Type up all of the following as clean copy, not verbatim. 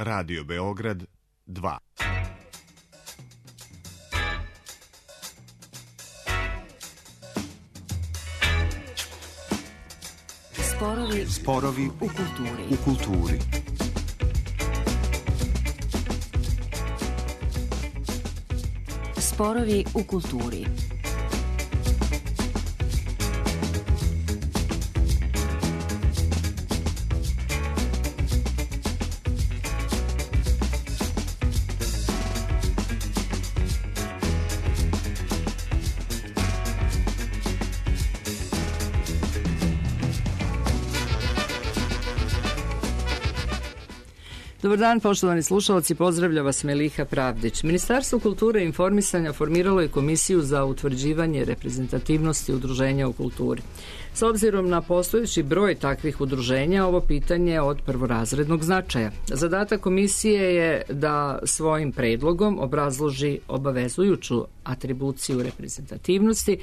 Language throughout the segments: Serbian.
Radio Beograd 2. Sporovi u kulturi. Sporovi u kulturi. Dobar dan, poštovani slušalci, pozdravlja vas Meliha Pravdić. Ministarstvo kulture i informisanja formiralo je komisiju za utvrđivanje reprezentativnosti udruženja u kulturi. S obzirom na postojeći broj takvih udruženja, ovo pitanje je od prvorazrednog značaja. Zadatak komisije je da svojim predlogom obrazloži obavezujuću atribuciju reprezentativnosti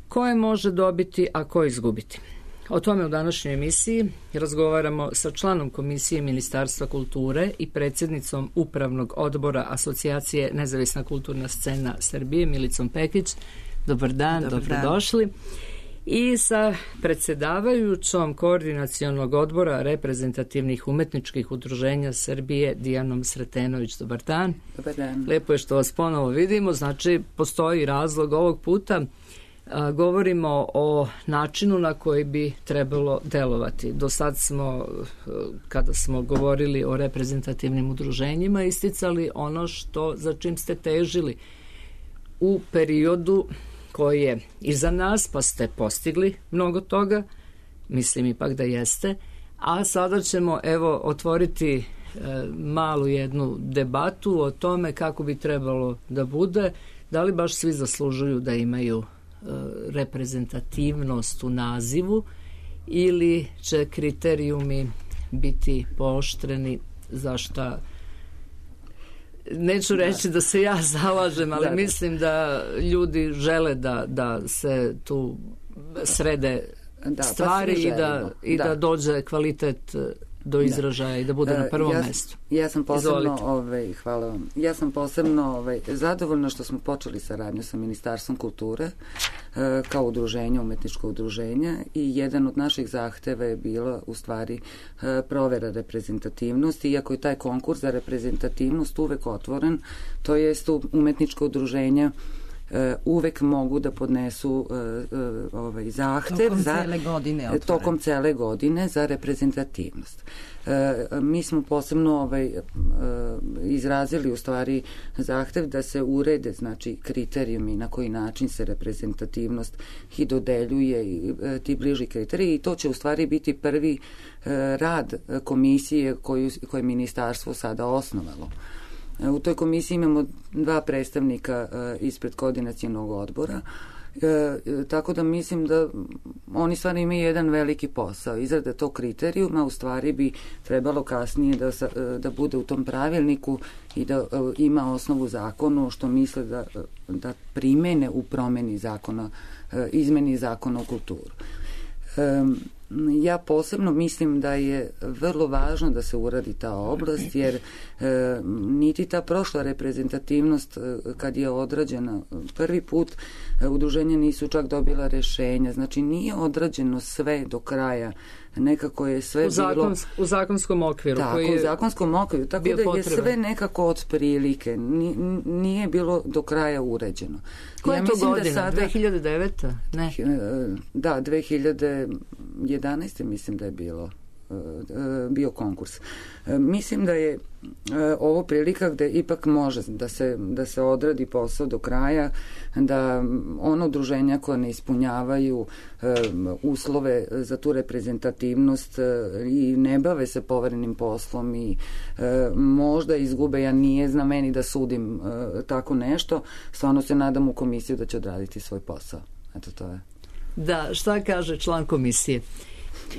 koje može dobiti, a koje izgubiti. O tome u današnjoj emisiji razgovaramo sa članom Komisije Ministarstva kulture i predsjednicom Upravnog odbora Asocijacije Nezavisna kulturna scena Srbije, Milicom Pekić. Dobar dan, dobrodošli. I sa predsjedavajućom Koordinacionog odbora reprezentativnih umetničkih udruženja Srbije, Dijanom Sretenović. Dobar dan. Dobar dan. Lepo je što vas ponovo vidimo, znači postoji razlog ovog puta. Govorimo o načinu na koji bi trebalo delovati. Do sad smo, kada smo govorili o reprezentativnim udruženjima, isticali ono za čim ste težili u periodu koji je iza nas, pa ste postigli mnogo toga, mislim ipak da jeste, a sada ćemo otvoriti malu jednu debatu o tome kako bi trebalo da bude, da li baš svi zaslužuju da imaju reprezentativnost u nazivu ili će kriterijumi biti pooštreni, za šta neću reći da se ja zalažem, ali mislim da ljudi žele da se tu srede stvari da dođe kvalitet do izražaja i da bude na prvom mestu. Ja sam posebno, hvala vam. Ja sam posebno zadovoljna što smo počeli saradnju sa Ministarstvom kulture kao udruženje, umetničko udruženje, i jedan od naših zahteva je bila u stvari provera reprezentativnosti, iako je taj konkurs za reprezentativnost uvek otvoren, to jest umetničko udruženja uvek mogu da podnesu zahtev tokom cele godine za reprezentativnost. Mi smo posebno izrazili u stvari zahtev da se urede, znači, kriterijumi na koji način se reprezentativnost i dodeljuje i ti bliži kriteriji, i to će u stvari biti prvi rad komisije koje je ministarstvo sada osnovalo. U toj komisiji imamo 2 predstavnika ispred koordinacionog odbora, tako da mislim da oni stvarno imaju jedan veliki posao. Izrada tog kriterijuma u stvari bi trebalo kasnije da bude u tom pravilniku i da ima osnovu zakonu, što misle da primene u promeni zakona, izmeni zakona o kulturu. Ja posebno mislim da je vrlo važno da se uradi ta oblast, jer niti ta prošla reprezentativnost kad je odrađena prvi put, udruženja nisu čak dobila rešenja, znači nije odrađeno sve do kraja, nekako je sve bilo u zakonskom okviru. Tako, u zakonskom okviru, tako da je sve nekako od prilike, nije bilo do kraja uređeno. Koja je to godina? 2009? Ne. Da, 2011. mislim da je bio konkurs. Mislim da je ovo prilika gde ipak može da se odradi posao do kraja, da ono udruženja koja ne ispunjavaju uslove za tu reprezentativnost i ne bave se poverenim poslom i možda izgube, ja nije zna meni da sudim tako nešto, stvarno se nadam u komisiju da će odraditi svoj posao. Eto, to je. Da, šta kaže član komisije?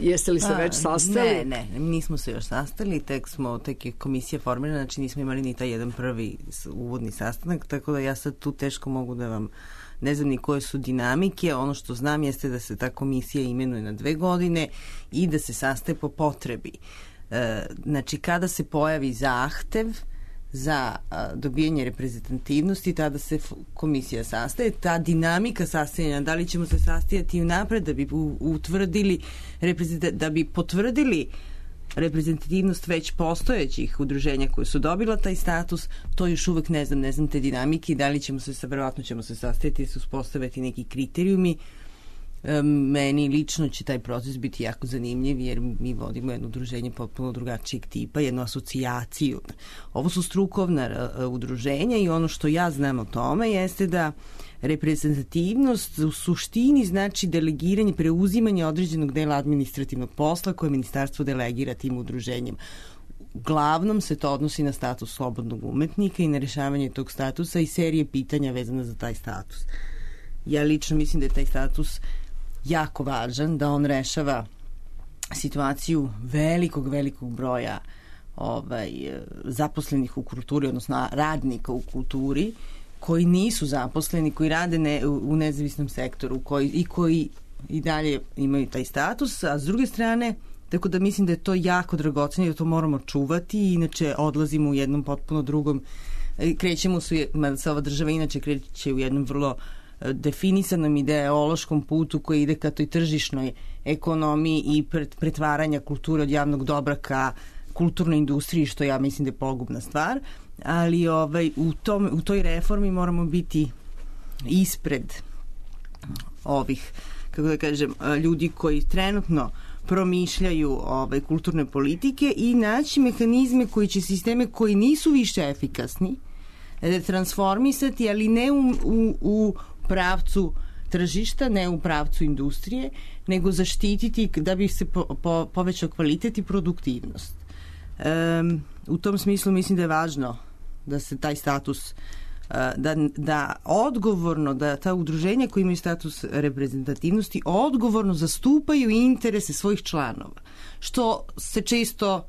Jeste li se već sastali? Ne, nismo se još sastali, tek je komisija formirana, znači nismo imali ni taj jedan prvi uvodni sastanak, tako da ja sad tu teško mogu da vam ne znam ni koje su dinamike. Ono što znam jeste da se ta komisija imenuje na 2 godine i da se sastaje po potrebi. Znači, kada se pojavi zahtev za dobijanje reprezentativnosti, tada se komisija sastaje. Ta dinamika sastajanja, da li ćemo se sastajati unapred da bi utvrdili, da bi potvrdili reprezentativnost već postojećih udruženja koje su dobila taj status, to još uvek ne znam te dinamike, da li ćemo se, verovatno ćemo se sastajati i se uspostaviti neki kriterijumi. Meni lično će taj proces biti jako zanimljiv, jer mi vodimo jedno udruženje potpuno drugačijeg tipa, jednu asocijaciju. Ovo su strukovna udruženja i ono što ja znam o tome jeste da reprezentativnost u suštini znači delegiranje, preuzimanje određenog dela administrativnog posla koje ministarstvo delegira tim udruženjem. Uglavnom se to odnosi na status slobodnog umetnika i na rešavanje tog statusa i serije pitanja vezana za taj status. Ja lično mislim da je taj status jako važan, da on rešava situaciju velikog broja zaposlenih u kulturi, odnosno radnika u kulturi, koji nisu zaposleni, koji rade u nezavisnom sektoru, koji i dalje imaju taj status, a s druge strane, tako da mislim da je to jako dragoceno i da to moramo čuvati, inače odlazimo u jednom potpuno drugom, krećemo mada se ova država inače kreće u jednom vrlo definisanom ideološkom putu koji ide ka toj tržišnoj ekonomiji i pretvaranja kulture od javnog dobra ka kulturnoj industriji, što ja mislim da je pogubna stvar, ali u toj reformi moramo biti ispred ovih, kako da kažem, ljudi koji trenutno promišljaju kulturne politike i naći mehanizme koji će sisteme koji nisu više efikasni transformisati, ali ne u pravcu tržišta, ne u pravcu industrije, nego zaštititi da bi se povećao kvalitet i produktivnost. U tom smislu mislim da je važno da se taj status da odgovorno, da ta udruženja koji imaju status reprezentativnosti odgovorno zastupaju interese svojih članova, što se često,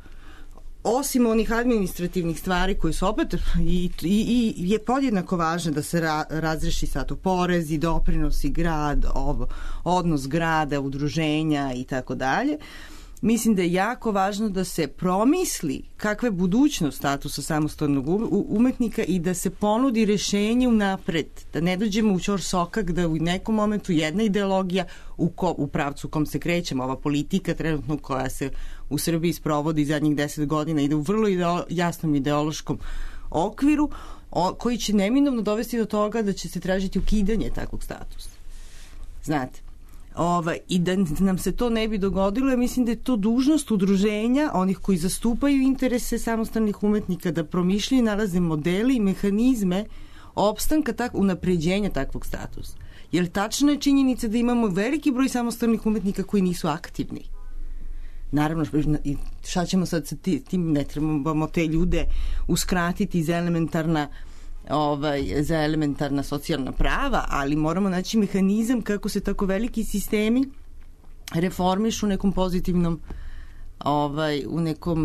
osim onih administrativnih stvari koje su opet i je podjednako važno da se razreši sad u porezi, doprinosi, grad, odnos grada, udruženja i tako dalje. Mislim da je jako važno da se promisli kakva je budućnost statusa samostalnog umetnika i da se ponudi rešenje unapred, da ne dođemo u ćorsokak, da u nekom momentu jedna ideologija u pravcu u kom se krećemo, ova politika trenutno koja se u Srbiji sprovodi zadnjih 10 godina ide u vrlo jasnom ideološkom okviru koji će neminovno dovesti do toga da će se tražiti ukidanje takvog statusa. Znate, i da nam se to ne bi dogodilo, ja mislim da je to dužnost udruženja, onih koji zastupaju interese samostalnih umetnika, da promišljaju i nalaze modele i mehanizme opstanka unapređenja takvog statusa. Jer tačna je činjenica da imamo veliki broj samostalnih umetnika koji nisu aktivni. Naravno, šta ćemo sad sa tim, ne trebamo te ljude uskratiti za elementarna socijalna prava, ali moramo naći mehanizam kako se tako veliki sistemi reformišu u nekom pozitivnom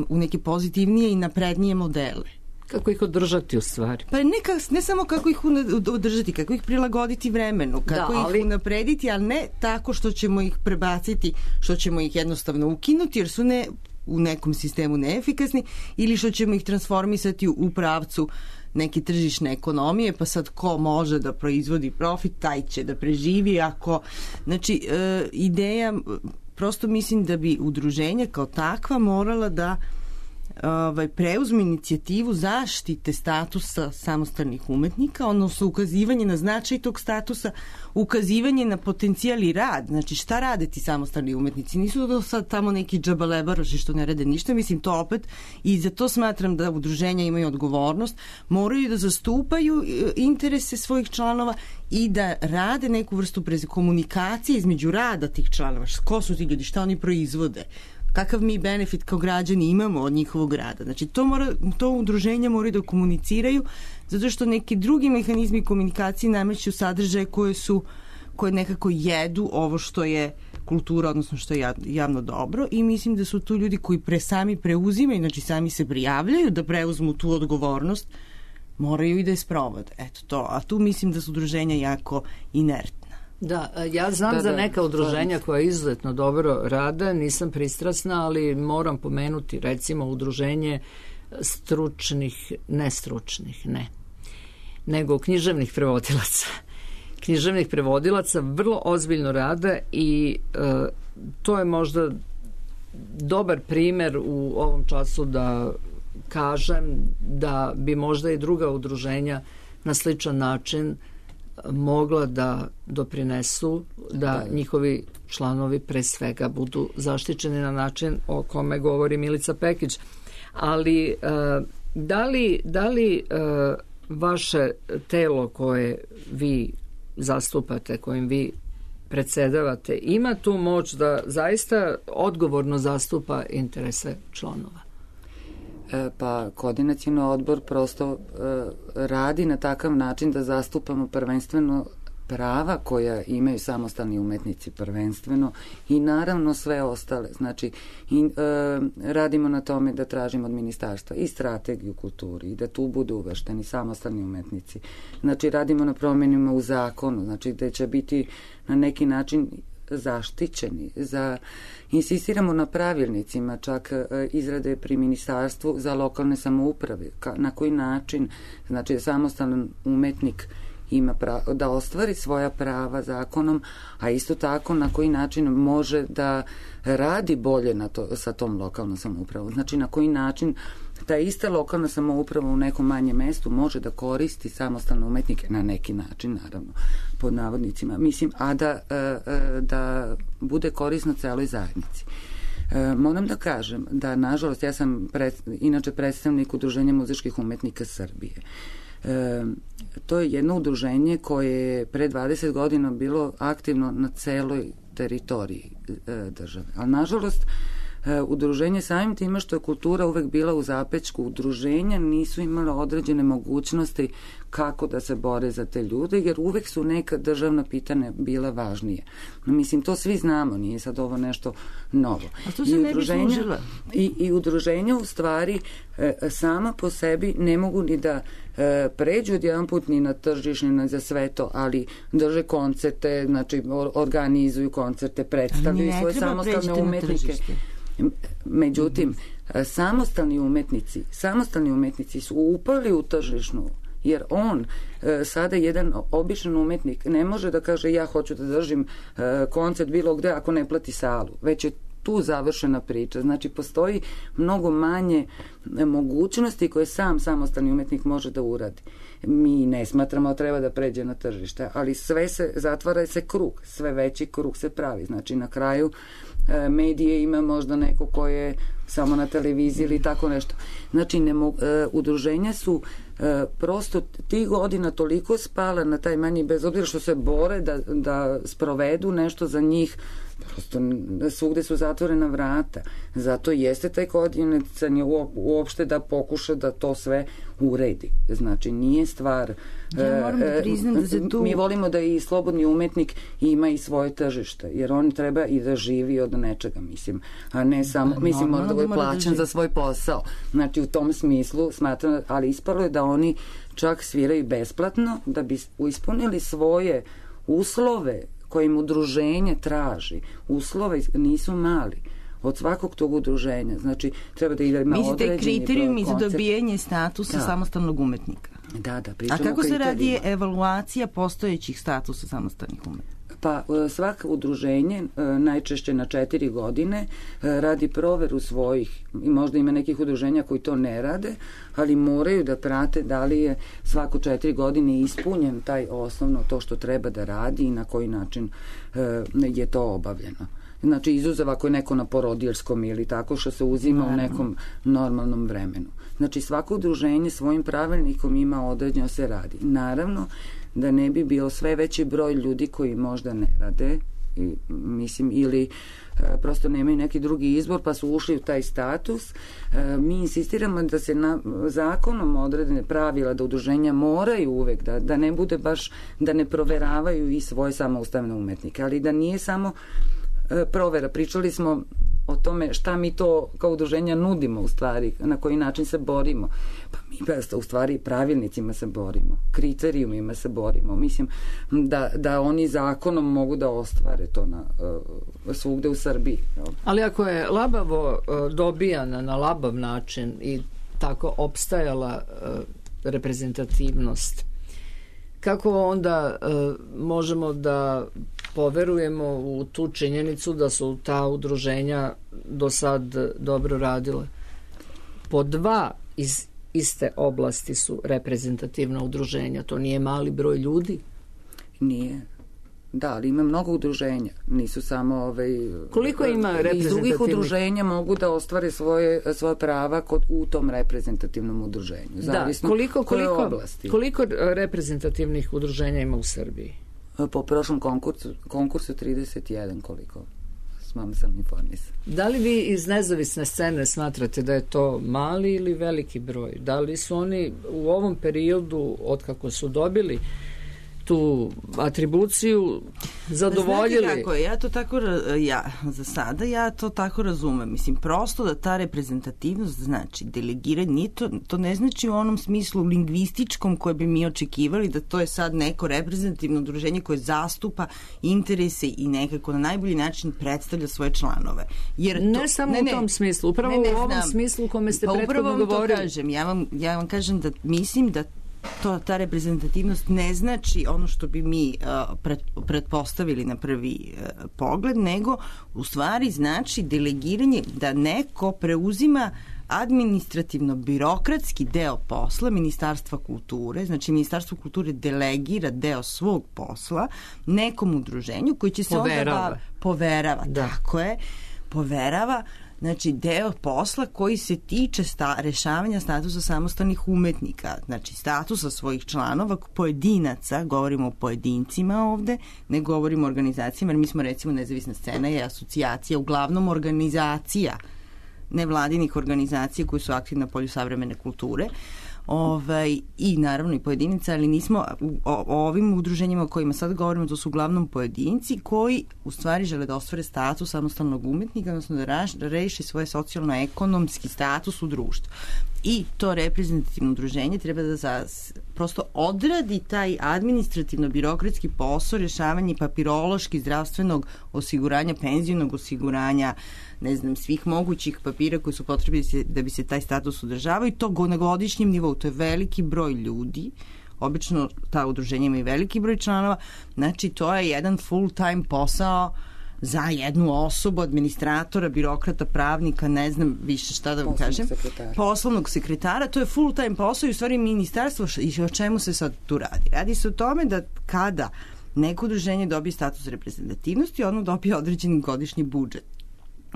u neke pozitivnije i naprednije modele. Kako ih održati u stvari? Pa ne samo kako ih održati, kako ih prilagoditi vremenu, kako ih unaprediti, ali ne tako što ćemo ih prebaciti, što ćemo ih jednostavno ukinuti jer su u nekom sistemu neefikasni, ili što ćemo ih transformisati u pravcu neke tržišne ekonomije, pa sad ko može da proizvodi profit, taj će da preživi. Znači, ideja, prosto mislim da bi udruženja kao takva morala da preuzme inicijativu zaštite statusa samostalnih umetnika, odnosno ukazivanje na značaj tog statusa, ukazivanje na potencijal i rad. Znači, šta rade ti samostalni umetnici? Nisu to sad tamo neki džabalebaroši što ne rade ništa, mislim to opet, i za to smatram da udruženja imaju odgovornost, moraju da zastupaju interese svojih članova i da rade neku vrstu komunikacije između rada tih članova. Ko su ti ljudi, šta oni proizvode, kakav mi benefit kao građani imamo od njihovog rada. Znači, to udruženja moraju da komuniciraju, zato što neki drugi mehanizmi komunikacije nameću sadržaje koje nekako jedu ovo što je kultura, odnosno što je javno dobro, i mislim da su tu ljudi koji sami preuzimaju, znači sami se prijavljaju da preuzmu tu odgovornost, moraju i da je sprovode. Eto to. A tu mislim da su udruženja jako inertna. Da, ja znam za neka udruženja koja izuzetno dobro rade, nisam pristrasna, ali moram pomenuti recimo udruženje stručnih, nestručnih, nego književnih prevodilaca. Književnih prevodilaca vrlo ozbiljno rade i to je možda dobar primer u ovom času da kažem da bi možda i druga udruženja na sličan način mogla da doprinesu da njihovi članovi pre svega budu zaštićeni na način o kome govori Milica Pekić. Ali da li vaše telo koje vi zastupate, kojim vi predsedavate, ima tu moć da zaista odgovorno zastupa interese članova? Pa koordinacioni odbor prosto radi na takav način da zastupamo prvenstveno prava koja imaju samostalni umetnici prvenstveno i naravno sve ostale. Znači, radimo na tome da tražimo od ministarstva i strategiju kulturi i da tu budu uvršteni samostalni umetnici. Znači, radimo na promjenima u zakonu, znači da će biti na neki način zaštićeni. Insistiramo na pravilnicima, čak izrade pri ministarstvu za lokalne samouprave. Na koji način, znači, samostalan umetnik ima da ostvari svoja prava zakonom, a isto tako na koji način može da radi bolje sa tom lokalnom samoupravom. Znači, na koji način ta ista lokalna samouprava u nekom manjem mestu može da koristi samostalne umetnike na neki način, naravno, pod navodnicima. Mislim, a da bude korisno celoj zajednici. Moram da kažem da, nažalost, ja sam inače predstavnik Udruženja muzičkih umetnika Srbije. To je jedno udruženje koje je pre 20 godina bilo aktivno na celoj teritoriji države. Ali, nažalost, udruženje samim time što je kultura uvek bila u zapećku udruženja nisu imala određene mogućnosti kako da se bore za te ljude, jer uvek su neka državna pitanja bila važnije. Mislim, to svi znamo, nije sad ovo nešto novo. A to se ne bi služila. I udruženja u stvari sama po sebi ne mogu ni da pređu odjedan put ni na tržište, ni za sve to, ali drže koncerte, znači organizuju koncerte, predstavljaju svoje samostalne umetnike. Međutim, samostalni umetnici su upali u tržišnu, jer on sada jedan običan umetnik ne može da kaže ja hoću da držim koncert bilo gde ako ne plati salu, već je tu završena priča. Znači, postoji mnogo manje mogućnosti koje samostalni umetnik može da uradi. Mi ne smatramo da treba da pređe na tržište, ali zatvara se krug, sve veći krug se pravi. Znači, na kraju medije ima možda neko ko je samo na televiziji ili tako nešto. Znači, udruženja su prosto tih godina toliko spala na taj manji, bez obzira što se bore da sprovedu nešto za njih, prosto svugde su zatvorena vrata. Zato jeste taj koordinacioni uopšte da pokuša da to sve uredi. Znači, nije stvar... Ja moram da priznam da se tu... Mi volimo da i slobodni umetnik ima i svoje tržište, jer on treba i da živi od nečega, mislim, a ne samo... Mislim, mora da bude plaćen za svoj posao. Znači, u tom smislu smatram, ali ispalo je da oni čak sviraju besplatno da bi ispunili svoje uslove koje im udruženje traži. Uslove nisu mali od svakog tog udruženja. Znači, treba da ima određeni broj koncerta. Mislite kriterijumi za dobijanje statusa samostalnog umetnika? Da, pričamo. A kako se radi evaluacija postojećih statusa samostalnih umetnika? Pa svako udruženje, najčešće na 4 godine, radi proveru svojih, i možda ima nekih udruženja koji to ne rade, ali moraju da prate da li je svako 4 godine ispunjen taj osnovno to što treba da radi i na koji način je to obavljeno. Znači, izuzev ako je neko na porodiljskom ili tako što se uzima u nekom normalnom vremenu. Znači, svako udruženje svojim pravilnikom ima određeno se radi. Naravno, da ne bi bio sve veći broj ljudi koji možda ne rade, mislim, ili prosto nemaju neki drugi izbor pa su ušli u taj status. Mi insistiramo da se zakonom odredene pravila da udruženja moraju uvek da ne bude baš, da ne proveravaju i svoje samoustavne umetnike, ali da nije samo provera. Pričali smo o tome šta mi to kao udruženja nudimo u stvari, na koji način se borimo. Pa mi u stvari pravilnicima se borimo, kriterijumima se borimo. Mislim da oni zakonom mogu da ostvare to svugde u Srbiji. Ali ako je labavo dobijana na labav način i tako opstajala reprezentativnost, kako onda možemo da poverujemo u tu činjenicu da su ta udruženja do sad dobro radile? Po 2 iz iste oblasti su reprezentativna udruženja. To nije mali broj ljudi? Nije. Da, ali ima mnogo udruženja. Nisu samo koliko ima reprezentativnih? Iz drugih udruženja mogu da ostvare svoje prava u tom reprezentativnom udruženju. Zavisno koliko reprezentativnih udruženja ima u Srbiji? Po prošlom konkursu 31, koliko sam informisan. Da li vi iz nezavisne scene smatrate da je to mali ili veliki broj? Da li su oni u ovom periodu, otkako su dobili tu atribuciju, zadovoljili? Znate kako je, za sada ja to tako razumem. Mislim, prosto da ta reprezentativnost znači delegiranje, to ne znači u onom smislu lingvističkom koje bi mi očekivali, da to je sad neko reprezentativno udruženje koje zastupa interese i nekako na najbolji način predstavlja svoje članove. Jer ne samo u tom smislu, upravo u ovom smislu u kome ste prethodno govorili. Kažem, ja vam kažem da mislim da ta reprezentativnost ne znači ono što bi mi pretpostavili na prvi pogled, nego u stvari znači delegiranje, da neko preuzima administrativno-birokratski deo posla Ministarstva kulture. Znači, Ministarstvo kulture delegira deo svog posla nekom udruženju koji će se poverava. Tako je, poverava. Znači, deo posla koji se tiče rešavanja statusa samostalnih umetnika, znači statusa svojih članova, pojedinaca, govorimo o pojedincima ovde, ne govorimo o organizacijama, jer mi smo recimo nezavisna scena je asocijacija, uglavnom organizacija, nevladinih organizacija koji su aktivne na polju savremene kulture, i naravno i pojedinaca, ali nismo o ovim udruženjima o kojima sad govorimo, to su uglavnom pojedinci koji u stvari žele da ostvare status samostalnog umetnika, odnosno da reši svoj socijalno-ekonomski status u društvu. I to reprezentativno udruženje treba da prosto odradi taj administrativno-birokratski posao rešavanja papirološki zdravstvenog osiguranja, penzijnog osiguranja, ne znam, svih mogućih papira koji su potrebni da bi se taj status održavao, i to na godišnjem nivou. To je veliki broj ljudi, obično ta udruženja imaju veliki broj članova, znači to je jedan full-time posao za jednu osobu, administratora, birokrata, pravnika, ne znam više šta da vam kažem. Poslovnog sekretara. To je full-time posao i u stvari ministarstvo, i o čemu se sad tu radi? Radi se o tome da kada neko udruženje dobije status reprezentativnosti, ono dobije određeni godišnji budžet.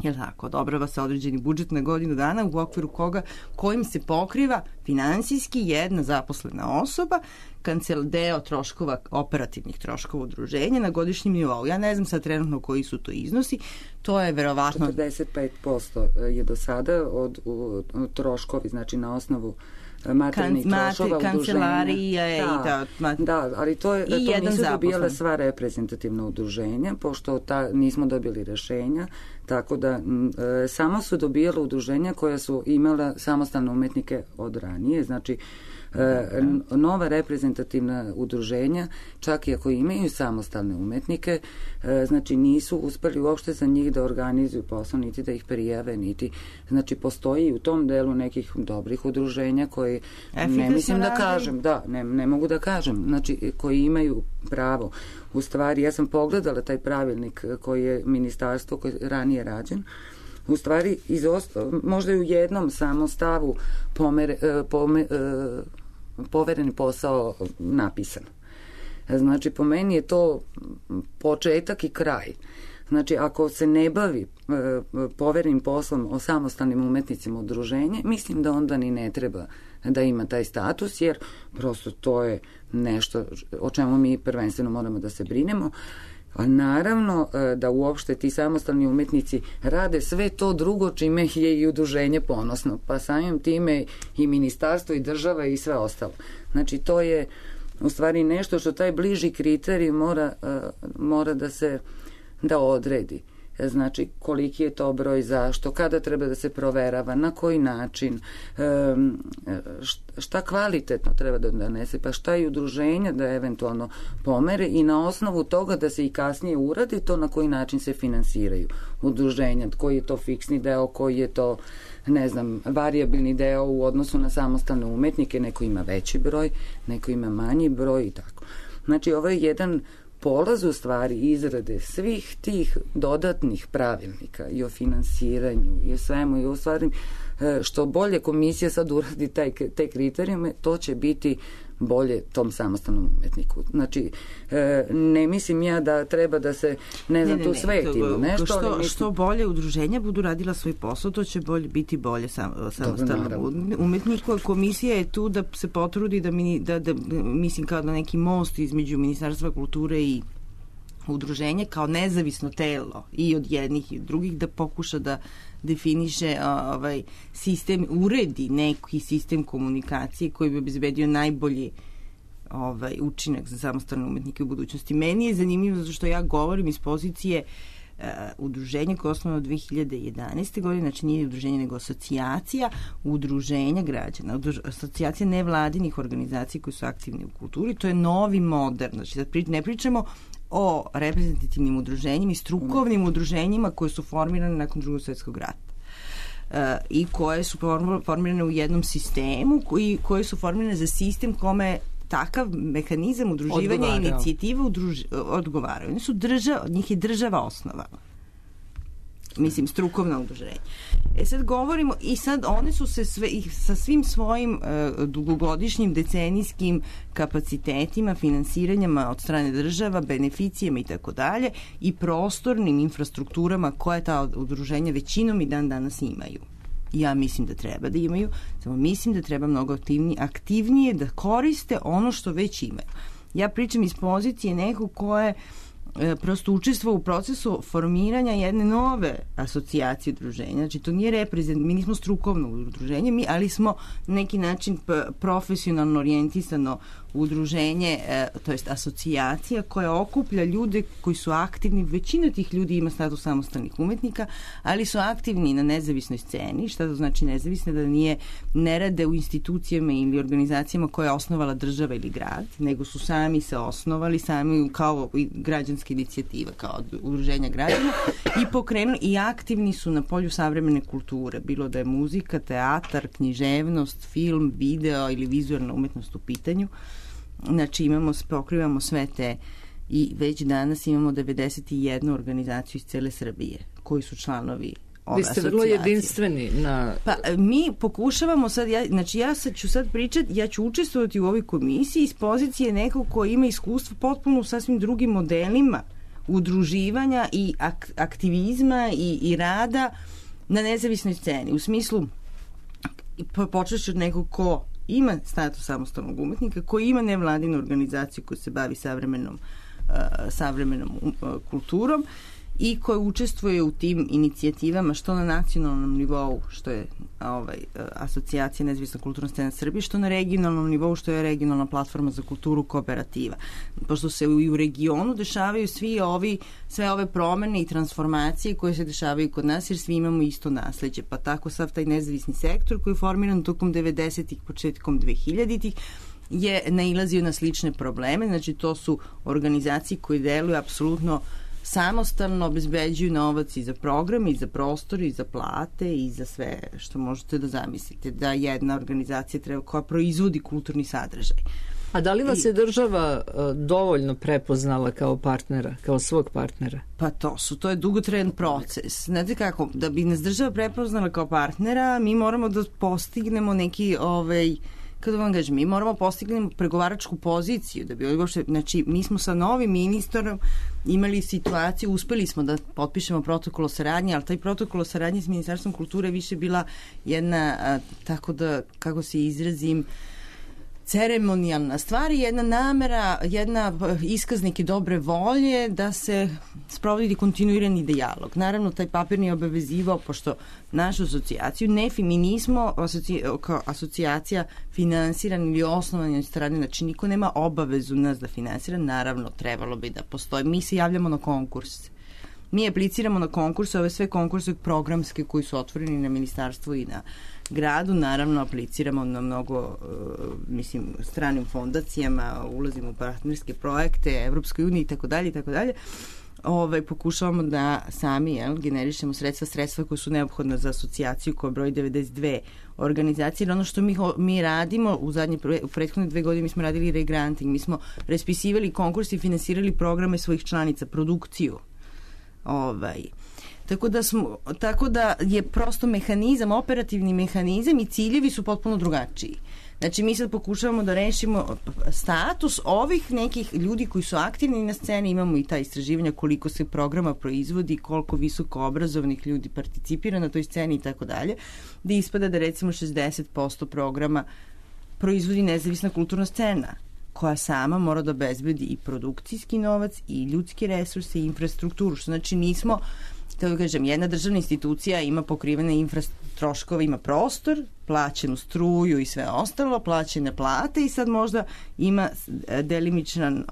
Jel tako? Odobrava se određeni budžet na godinu dana u okviru kojim se pokriva finansijski jedna zaposlena osoba, deo troškova, operativnih troškova udruženja na godišnjem nivou. Ja ne znam sad trenutno koji su to iznosi, to je verovatno 45% je do sada od troškovi, znači na osnovu materijalnih troškova kancelarije da, ali to nisu dobijala sva reprezentativna udruženja, pošto nismo dobili rešenja, tako da samo su dobijala udruženja koja su imala samostalne umetnike od ranije, znači nova reprezentativna udruženja, čak i ako imaju samostalne umetnike, znači nisu uspeli uopšte za njih da organizuju posao, niti da ih prijave, niti, znači postoji u tom delu nekih dobrih udruženja koji, ne mislim da kažem, ne mogu da kažem, znači koji imaju pravo. U stvari, ja sam pogledala taj pravilnik koji je ministarstvo, koji je ranije rađen, u stvari možda je u jednom samo stavu povereni posao napisan. Znači, po meni je to početak i kraj. Znači, ako se ne bavi poverenim poslom o samostalnim umetnicima udruženje, mislim da onda ni ne treba da ima taj status, jer prosto to je nešto o čemu mi prvenstveno moramo da se brinemo. A naravno da uopšte ti samostalni umetnici rade sve to drugo čime je i udruženje ponosno, pa samim time i ministarstvo i država i sve ostalo. Znači, to je u stvari nešto što taj bliži kriterij mora da odredi. znači koliki je to broj, zašto, kada treba da se proverava, na koji način, šta kvalitetno treba da donese, pa šta i udruženja da eventualno pomere i na osnovu toga da se i kasnije uradi to na koji način se finansiraju udruženja, koji je to fiksni deo, koji je to, ne znam, varijabilni deo u odnosu na samostalne umetnike, neko ima veći broj, neko ima manji broj i tako. Znači, ovo je jedan polaz u stvari izrade svih tih dodatnih pravilnika i o finansiranju i o svemu i o stvari što bolje komisija sad uradi te kriterijume, to će biti bolje tom samostalnom umetniku. Znači, ne mislim ja da treba da se, ne znam, tu svetimo. Što bolje udruženja budu radila svoj posao, to će biti bolje samostalnom umetniku. A komisija je tu da se potrudi da mislim kao da neki most između Ministarstva kulture i udruženje kao nezavisno telo i od jednih i od drugih da pokuša da definiše sistem, uredi neki sistem komunikacije koji bi obezbedio najbolji učinak za samostalne umetnike u budućnosti. Meni je zanimljivo zato što ja govorim iz pozicije udruženja koje je osnovano 2011. godine, znači nije udruženje nego asocijacija udruženja građana, asocijacija nevladinih organizacija koji su aktivni u kulturi, to je novi modern, znači ne pričamo o reprezentativnim udruženjima i strukovnim udruženjima koje su formirane nakon Drugog svjetskog rata i koje su formirane u jednom sistemu koje su formirane za sistem kome takav mehanizam udruživanja i inicijativa odgovaraju. Njih je država osnovala. Mislim, strukovna udruženja. Sad govorimo i sad one su se sa svim svojim dugogodišnjim decenijskim kapacitetima, finansiranjama od strane država, beneficijama i tako dalje i prostornim infrastrukturama koje ta udruženja većinom i dan danas imaju. Ja mislim da treba da imaju, samo mislim da treba mnogo aktivnije da koriste ono što već imaju. Ja pričam iz pozicije nekog ko je prosto učestvovao u procesu formiranja jedne nove asocijacije udruženja. Znači, to nije mi nismo strukovno udruženje, ali smo na neki način profesionalno orijentisano udruženje, to jest asocijacija koja okuplja ljude koji su aktivni. Većina tih ljudi ima status samostalnih umetnika, ali su aktivni na nezavisnoj sceni. Šta to znači nezavisne? Da ne rade u institucijama ili organizacijama koje je osnovala država ili grad, nego su sami se osnovali, sami kao građanska inicijativa, kao udruženja građana i pokrenuli i aktivni su na polju savremene kulture, bilo da je muzika, teatar, književnost, film, video ili vizualna umetnost u pitanju. Znači pokrivamo sve te i već danas imamo 91 organizaciju iz cele Srbije koji su članovi ove asocijacije. Vi ste vrlo jedinstveni na... Pa mi pokušavamo sad, ću sad pričati, ja ću učestvovati u ovoj komisiji iz pozicije nekog ko ima iskustvo potpuno u sasvim drugim modelima udruživanja i aktivizma i rada na nezavisnoj sceni. U smislu, počeš od nekog ko ima status samostalnog umetnika, koji ima nevladinu organizaciju koja se bavi savremenom kulturom i koja učestvuje u tim inicijativama što na nacionalnom nivou, što je asocijacija nezavisna kulturna scena Srbije, što na regionalnom nivou, što je regionalna platforma za kulturu Kooperativa. Pošto se i u regionu dešavaju sve ove promene i transformacije koje se dešavaju kod nas, jer svi imamo isto nasleđe. Pa tako sav taj nezavisni sektor koji je formiran tokom 90-ih, početkom 2000-ih, je nailazio na slične probleme. Znači, to su organizacije koje deluju apsolutno samostalno, obezbeđuju novac i za program, i za prostor, i za plate, i za sve što možete da zamislite, da jedna organizacija treba koja proizvodi kulturni sadržaj. A da li vas je država dovoljno prepoznala kao partnera, kao svog partnera? Pa to je dugotrajan proces. Znate kako, da bi nas država prepoznala kao partnera, mi moramo da postignemo neki kako vam kažem, mi moramo postignemo pregovaračku poziciju da bi uopšte, znači mi smo sa novim ministrom imali situaciju, uspeli smo da potpišemo protokol o saradnji, ali taj protokol o saradnji s Ministarstvom kulture više bila jedna, tako da, kako se izrazim, ceremonijalna stvar i jedna namera, jedna iskaz neke dobre volje da se sprovodi kontinuirani dijalog. Naravno, taj papir nije obavezivao, pošto našu asocijaciju, mi nismo kao asocijacija finansirana ili osnovana od strane, znači niko nema obavezu nas da finansira, naravno trebalo bi da postoji. Mi se javljamo na konkurs. mi apliciramo na konkurse, ove sve konkurse programske koji su otvoreni na ministarstvu i na gradu, naravno apliciramo na mnogo stranim fondacijama, ulazimo u partnerske projekte, Evropskoj uniji i tako dalje. Pokušavamo da sami generišemo sredstva koja su neophodna za asocijaciju koja broji 92 organizacije. Ono što mi radimo u prethodne 2 godine, mi smo radili regranting, mi smo raspisivali konkurs i finansirali programe svojih članica, produkciju. Tako da je prosto mehanizam, operativni mehanizam i ciljevi su potpuno drugačiji. Znači, mi sad pokušavamo da rešimo status ovih nekih ljudi koji su aktivni na sceni, imamo i ta istraživanja koliko se programa proizvodi, koliko visoko obrazovnih ljudi participira na toj sceni i tako dalje, da ispada da recimo 60% programa proizvodi nezavisna kulturna scena, koja sama mora da obezbedi i produkcijski novac i ljudske resurse i infrastrukturu, što znači nismo, da kažem, jedna državna institucija ima pokrivene troškove, ima prostor, plaćenu struju i sve ostalo, plaćene plate i sad možda ima delimičan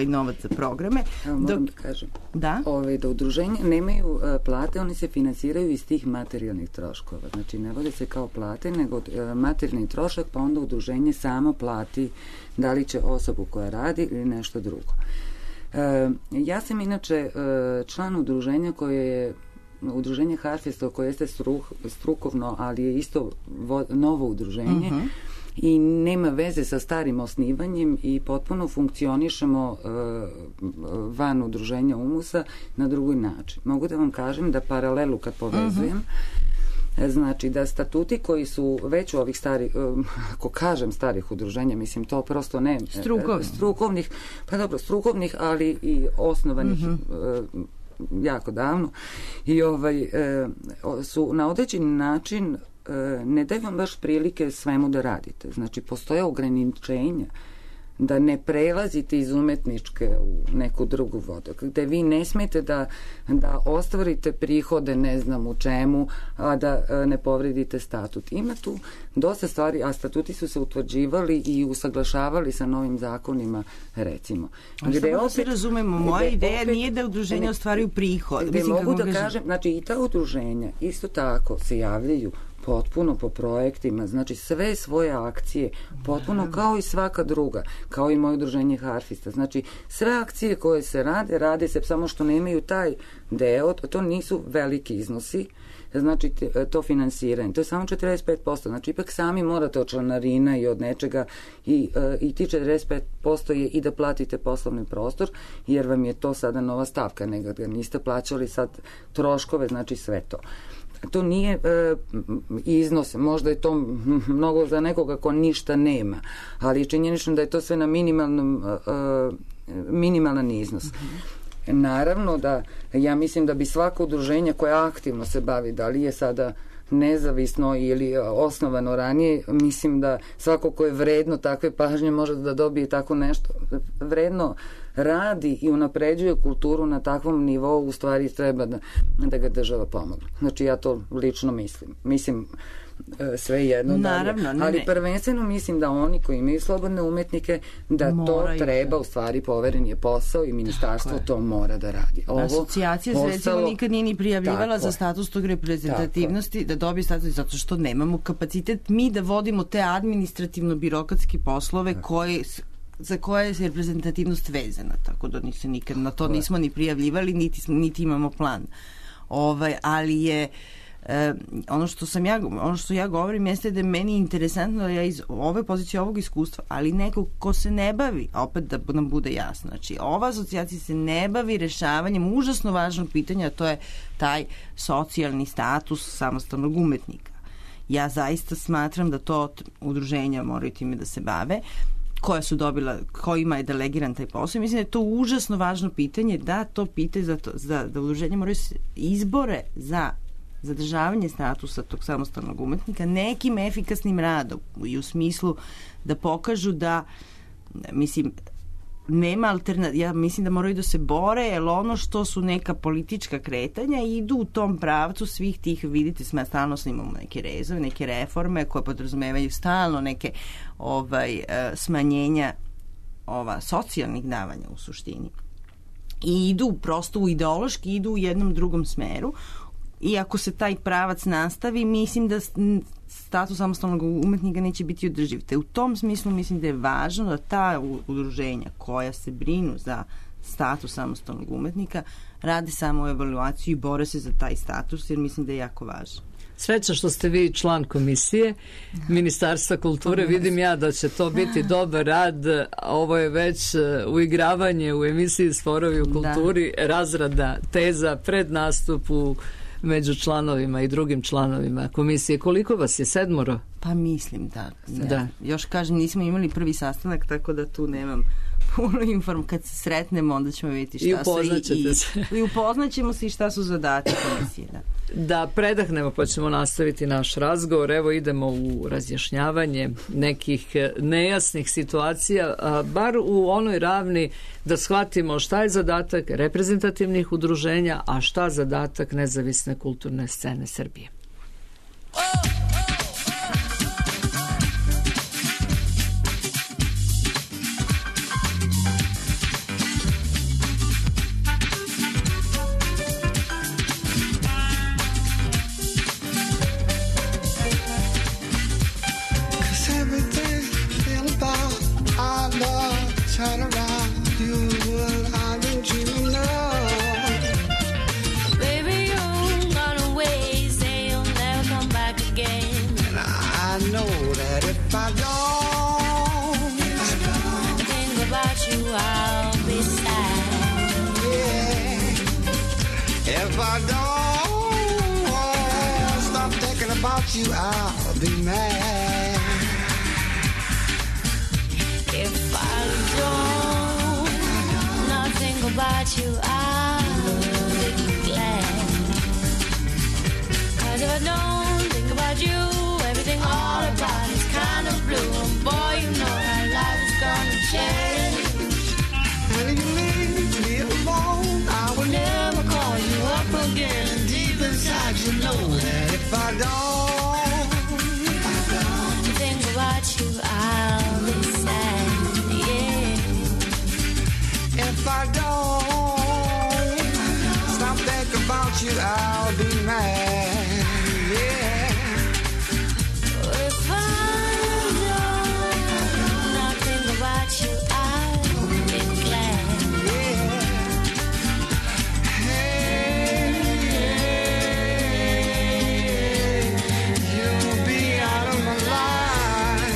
novac za programe. Moram da kažem. Da udruženja nemaju plate, oni se finansiraju iz tih materijalnih troškova. Znači, ne vode se kao plate, nego materijalni trošak, pa onda udruženje samo plati da li će osobu koja radi ili nešto drugo. Ja sam inače član udruženja koje je udruženje Harfesta, koje jeste strukovno, ali je isto novo udruženje i nema veze sa starim osnivanjem i potpuno funkcionišemo van udruženja UMUS-a na drugi način. Mogu da vam kažem da paralelu kad povezujem, znači da statuti koji su već u ovih starih, ako kažem starih udruženja, mislim to prosto ne strukovnih, pa dobro, strukovnih, ali i osnovanih jako davno i su na određeni način ne daju vam baš prilike svemu da radite. Znači, postoje ograničenja da ne prelazite iz umetničke u neku drugu vodu, gde vi ne smete da ostvarite prihode ne znam u čemu, a da ne povredite statut. Ima tu dosta stvari, a statuti su se utvrđivali i usaglašavali sa novim zakonima, recimo. Ali samo da se razumemo, moja ideja nije da udruženja ostvaruju prihod. Gde mogu da kažem, znači i ta udruženja isto tako se javljaju potpuno po projektima, znači sve svoje akcije, potpuno kao i svaka druga, kao i moje udruženje Harfista. Znači, sve akcije koje se rade se samo što nemaju taj deo, to nisu veliki iznosi, znači to finansiranje, to je samo 45%, znači ipak sami morate od članarina i od nečega i ti 45% je i da platite poslovni prostor, jer vam je to sada nova stavka, nego da niste plaćali sad troškove, znači sve to. To nije iznos, možda je to mnogo za nekoga ko ništa nema, ali je činjenično da je to sve na minimalan iznos. Naravno da ja mislim da bi svako udruženje koje aktivno se bavi, da li je sada nezavisno ili osnovano ranije, mislim da svako ko je vredno takve pažnje može da dobije tako nešto. Vredno radi i unapređuje kulturu na takvom nivou, u stvari treba da ga država pomogne. Znači ja to lično mislim. Mislim sve jedno naravno, dalje. Ali prvenstveno mislim da oni koji imaju slobodne umetnike, da to treba, u stvari poveren je posao i ministarstvo to mora da radi. Asocijacija se recimo nikad nije ni prijavljivala za status tog reprezentativnosti, da dobije status, zato što nemamo kapacitet mi da vodimo te administrativno-birokratske poslove za koje je reprezentativnost vezana, tako da se nikad na to nismo ni prijavljivali, niti imamo plan. Ali je ono što ja govorim jeste da je meni interesantno da ja iz ove pozicije, ovog iskustva, ali neko ko se ne bavi, opet da nam bude jasno, znači ova asocijacija se ne bavi rešavanjem užasno važnog pitanja, a to je taj socijalni status samostalnog umetnika. Ja zaista smatram da to udruženja moraju time da se bave, koja su dobila, kojima je delegiran taj posao. Mislim da je to užasno važno pitanje, da to pitanje da udruženja moraju izbore za zadržavanje statusa tog samostalnog umetnika nekim efikasnim radom i u smislu da pokažu da, mislim, nema alternativa, ja mislim da moraju da se bore, jer ono što su neka politička kretanja idu u tom pravcu svih tih, vidite, stalno imamo neke rezove, neke reforme koje podrazumevaju stalno neke smanjenja socijalnih davanja u suštini. i idu prosto u ideološki, idu u jednom drugom smeru. I ako se taj pravac nastavi, mislim da status samostalnog umetnika neće biti održiv. Te u tom smislu mislim da je važno da ta udruženja koja se brinu za status samostalnog umetnika radi samo evaluaciju i bore se za taj status, jer mislim da je jako važno. Sreća što ste vi član komisije Ministarstva kulture. Vidim ja da će to biti dobar rad. Ovo je već uigravanje u emisiji Sporovi u kulturi, razrada teza pred nastupu među članovima i drugim članovima komisije. Koliko vas je? 7? Pa mislim da. Još kažem, nismo imali prvi sastanak, tako da tu nemam puno informacija. Kad se sretnemo, onda ćemo vidjeti šta su i upoznaćemo se i šta su zadati komisije. Da predahnemo pa ćemo nastaviti naš razgovor. Evo idemo u razjašnjavanje nekih nejasnih situacija, bar u onoj ravni da shvatimo šta je zadatak reprezentativnih udruženja, a šta zadatak nezavisne kulturne scene Srbije. Turn around, you what I've been dreaming of. Baby, you've gone away, say you'll never come back again. And I know that if I don't think about you, I'll be sad. Yeah. If I don't stop thinking about you, I'll be mad. If I don't not think about you, I'll be glad. 'Cause if I don't think about you, everything all about is kind of blue. And boy, you know how life is gonna change. And if you leave me alone, I will never call you up again. And deep inside you know that if I don't think about you, I'll be sad. If I don't stop thinking about you, I'll be mad. Yeah. If I don't not think about you, I'll be glad. Yeah. Hey, you'll be out of my life,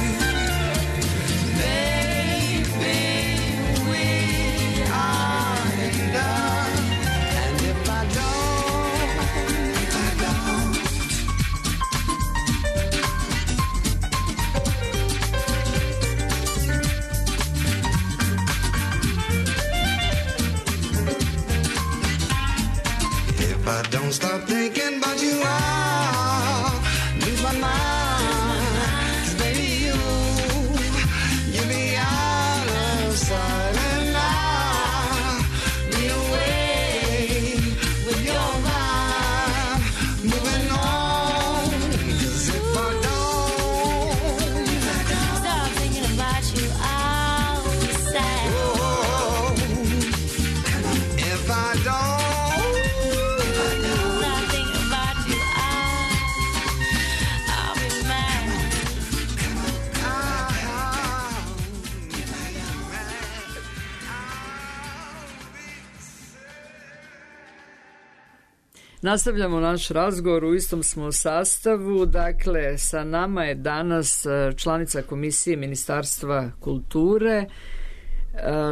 baby. I don't stop thinking about you, I'll lose my mind. 'Cause baby, you'll be out of sight, and I'll be away with your mind, moving on. 'Cause if I don't stop thinking about you, I'll be sad. Oh, if I don't Nastavljamo naš razgovor, u istom smo sastavu. Dakle, sa nama je danas članica komisije Ministarstva kulture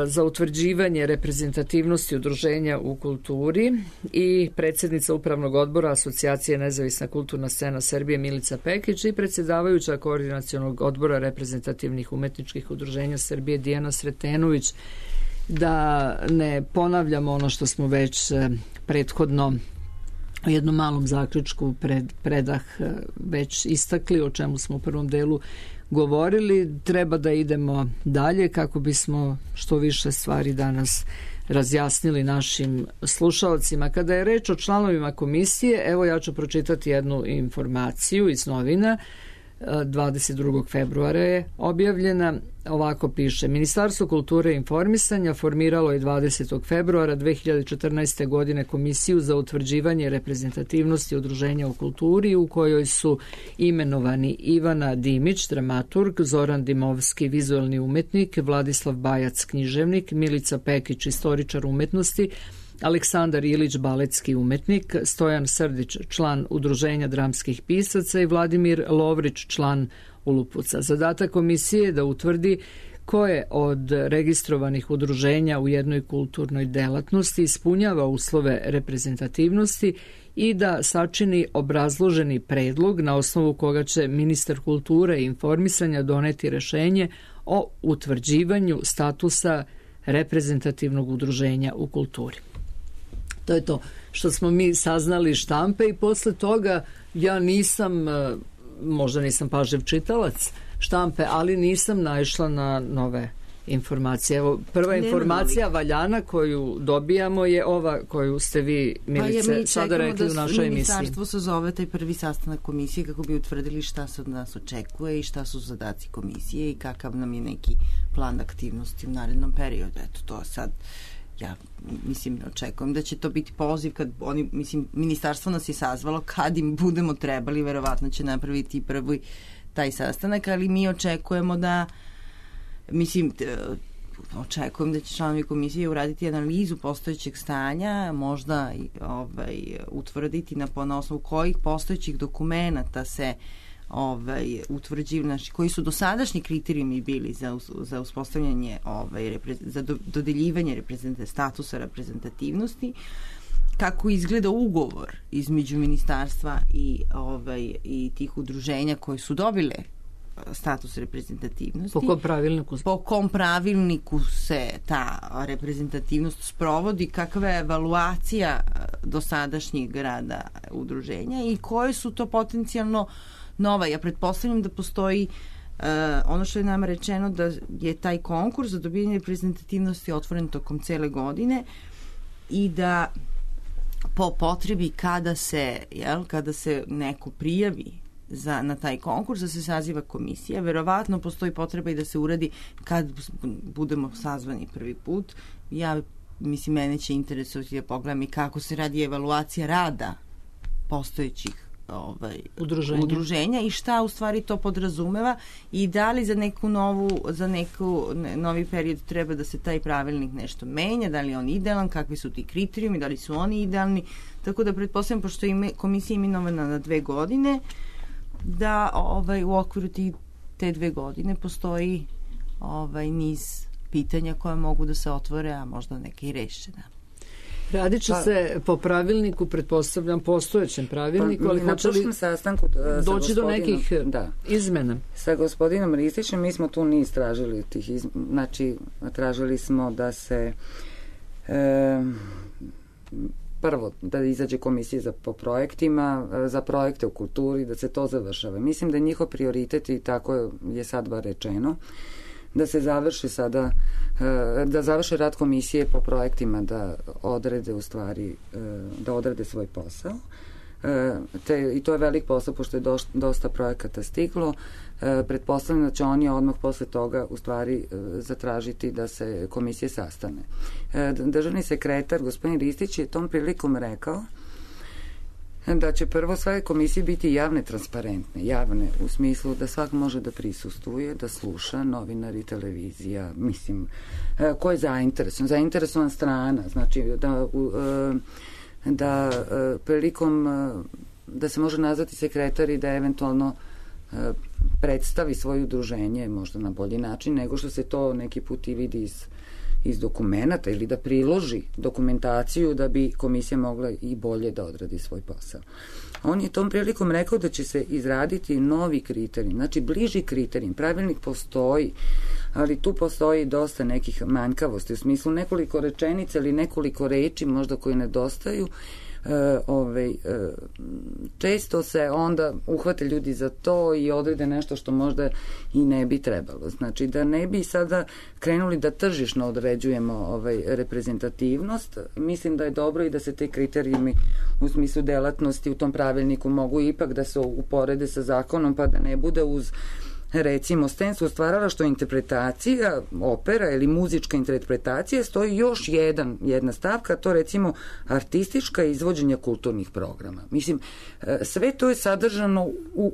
za utvrđivanje reprezentativnosti udruženja u kulturi i predsjednica Upravnog odbora Asocijacije Nezavisna kulturna scena Srbije Milica Pekić i predsjedavajuća Koordinacionog odbora reprezentativnih umetničkih udruženja Srbije Dijana Sretenović. Da ne ponavljamo ono što smo već prethodno u jednom malom zaključku predah već istakli, o čemu smo u prvom delu govorili. Treba da idemo dalje kako bismo što više stvari danas razjasnili našim slušalcima. Kada je reč o članovima komisije, evo ja ću pročitati jednu informaciju iz novina. 22. februara je objavljena. Ovako piše: Ministarstvo kulture i informisanja formiralo je 20. februara 2014. godine Komisiju za utvrđivanje reprezentativnosti udruženja u kulturi, u kojoj su imenovani Ivana Dimić, dramaturg, Zoran Dimovski, vizualni umetnik, Vladislav Bajac, književnik, Milica Pekić, istoričar umetnosti, Aleksandar Ilić, baletski umetnik, Stojan Srdić, član Udruženja dramskih pisaca i Vladimir Lovrić, član Ulupuca. Zadatak komisije je da utvrdi koje od registrovanih udruženja u jednoj kulturnoj delatnosti ispunjava uslove reprezentativnosti i da sačini obrazloženi predlog na osnovu koga će ministar kulture i informisanja doneti rešenje o utvrđivanju statusa reprezentativnog udruženja u kulturi. To je to što smo mi saznali štampe i posle toga ja nisam, možda nisam pažljiv čitalac štampe, ali nisam naišla na nove informacije. Evo, prva informacija valjana koju dobijamo je ova koju ste vi, Milice, sada rekli u našoj emisiji. Ministarstvo se zove taj prvi sastanak komisije kako bi utvrdili šta se od nas očekuje i šta su zadaci komisije i kakav nam je neki plan aktivnosti u narednom periodu. Eto, to sad ja mislim, očekujem da će to biti poziv kad oni, mislim, ministarstvo nas je sazvalo, kad im budemo trebali, verovatno će napraviti prvi taj sastanak, ali mi očekujemo da, mislim, očekujem da će članovi komisije uraditi analizu postojećeg stanja, možda utvrditi na osnovu kojih postojećih dokumenata se utvrđivanje, koji su dosadašnji kriterijumi bili za uspostavljanje za dodeljivanje statusa reprezentativnosti, kako izgleda ugovor između ministarstva i tih udruženja koji su dobile status reprezentativnosti. Po kom pravilniku se ta reprezentativnost sprovodi, kakva je evaluacija dosadašnjeg rada udruženja i koje su to potencijalno nova. Ja pretpostavljam da postoji ono što je nama rečeno, da je taj konkurs za dobijanje reprezentativnosti otvoren tokom cele godine i da po potrebi kada se neko prijavi na taj konkurs, da se saziva komisija, verovatno postoji potreba i da se uradi kad budemo sazvani prvi put. Ja mislim, mene će interesovati da pogledam i kako se radi evaluacija rada postojećih udruženja i šta u stvari to podrazumeva i da li za novi period treba da se taj pravilnik nešto menja, da li je on idealan, kakvi su ti kriterijumi, da li su oni idealni, tako da pretpostavljam, pošto je komisija imenovana na 2 godine, da u okviru te 2 godine postoji niz pitanja koja mogu da se otvore, a možda neke i rešena. Radit će se po pravilniku, pretpostavljam, postojećem pravilniku, ali hoće li sastanku doći do nekih izmena? Sa gospodinom Ristićem mi smo tu niz tražili znači tražili smo da se prvo da izađe komisija po projektima, za projekte u kulturi, da se to završava. Mislim da je njihov prioritet, i tako je sad bar rečeno, da se završi sada, da završe rad komisije po projektima, da odrede u stvari, da odrede svoj posao. I to je velik posao, pošto je dosta projekata stiglo. Pretpostavljam da će oni odmah posle toga u stvari zatražiti da se komisije sastane. Državni sekretar, gospodin Ristić, je tom prilikom rekao da će prvo sve komisije biti javne, transparentne, javne u smislu da svak može da prisustvuje, da sluša, novinari, televizija, mislim, ko je zainteresovan strana, znači da prilikom da se može nazvati sekretar i da eventualno predstavi svoje udruženje možda na bolji način nego što se to neki put i vidi iz dokumenata, ili da priloži dokumentaciju da bi komisija mogla i bolje da odradi svoj posao. On je tom prilikom rekao da će se izraditi novi kriterijum, znači bliži kriterijum. Pravilnik postoji, ali tu postoji dosta nekih manjkavosti, u smislu nekoliko rečenica ili nekoliko reči možda koje nedostaju, često se onda uhvate ljudi za to i odrede nešto što možda i ne bi trebalo. Znači da ne bi sada krenuli da tržišno određujemo reprezentativnost, mislim da je dobro i da se te kriterijumi u smislu delatnosti u tom pravilniku mogu ipak da se uporede sa zakonom, pa da ne bude uz recimo scensko stvaralaštvo interpretacija, opera ili muzička interpretacija, stoji još jedna stavka, to recimo artistička izvođenja kulturnih programa. Mislim, sve to je sadržano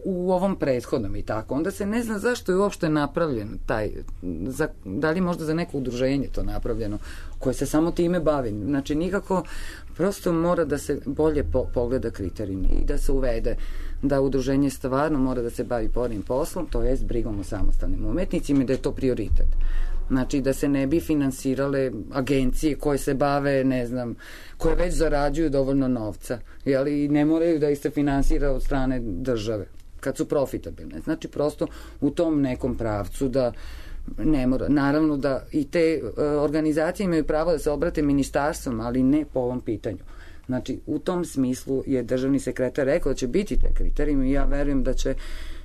u ovom prethodnom i tako. Onda se ne zna zašto je uopšte napravljen da li možda za neko udruženje to napravljeno, koje se samo time bavi. Znači, nikako, prosto mora da se bolje pogleda kriterijumi i da se uvede da udruženje stvarno mora da se bavi pornim poslom, to jest brigom o samostalnim umetnicima i da je to prioritet. Znači da se ne bi finansirale agencije koje se bave, ne znam, koje već zarađuju dovoljno novca, i ne moraju da ih se finansira od strane države, kad su profitabilne. Znači prosto u tom nekom pravcu da ne mora. Naravno da i te organizacije imaju pravo da se obrate ministarstvom, ali ne po ovom pitanju. Znači, u tom smislu je državni sekretar rekao da će biti te kriterijumi i ja verujem da će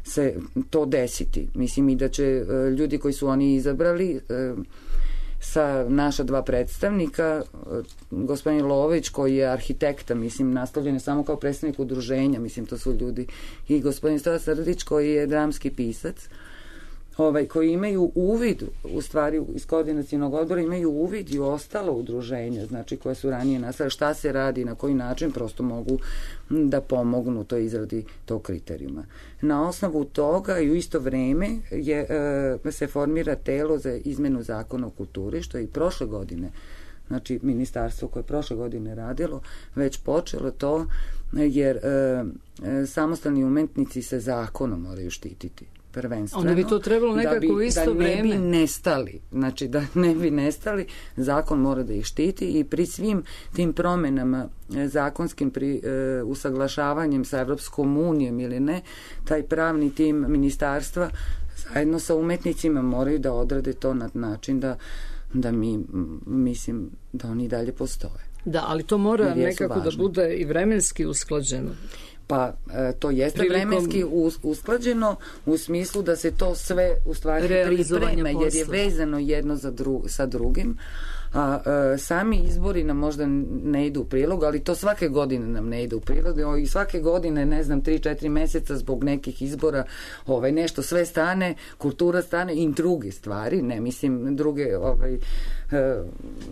se to desiti. Mislim i da će ljudi koji su oni izabrali sa naša 2 predstavnika, gospodin Lović koji je arhitekta, mislim, nastavljen je samo kao predstavnik udruženja, mislim, to su ljudi, i gospodin Stoja Srdić koji je dramski pisac, koji imaju uvid, u stvari iz koordinacionog odbora imaju uvid i u ostalo udruženja, znači koje su ranije nastale, šta se radi, na koji način, prosto mogu da pomognu toj izradi tog kriterijuma. Na osnovu toga i u isto vreme se formira telo za izmenu zakona o kulturi, što je i prošle godine, znači ministarstvo koje je prošle godine radilo, već počelo to, jer samostalni umetnici se zakonom moraju štititi. Prvenstveno. Onda bi to trebalo nekako u isto vreme. Da ne bi nestali. Znači da ne bi nestali, zakon mora da ih štiti i pri svim tim promenama zakonskim usaglašavanjem sa Evropskom unijom ili ne, taj pravni tim ministarstva zajedno sa umetnicima moraju da odrade to na način da mi, mislim, da oni dalje postoje. Da, ali to mora nekako da bude i vremenski usklađeno. Pa to jeste vremenski usklađeno u smislu da se to sve u stvari priprema, jer je vezano jedno sa drugim. Sami izbori nam možda ne idu u prilog, ali to svake godine nam ne ide u prilog i svake godine, ne znam, 3-4 meseca zbog nekih izbora nešto sve stane, kultura stane i druge stvari, ne mislim druge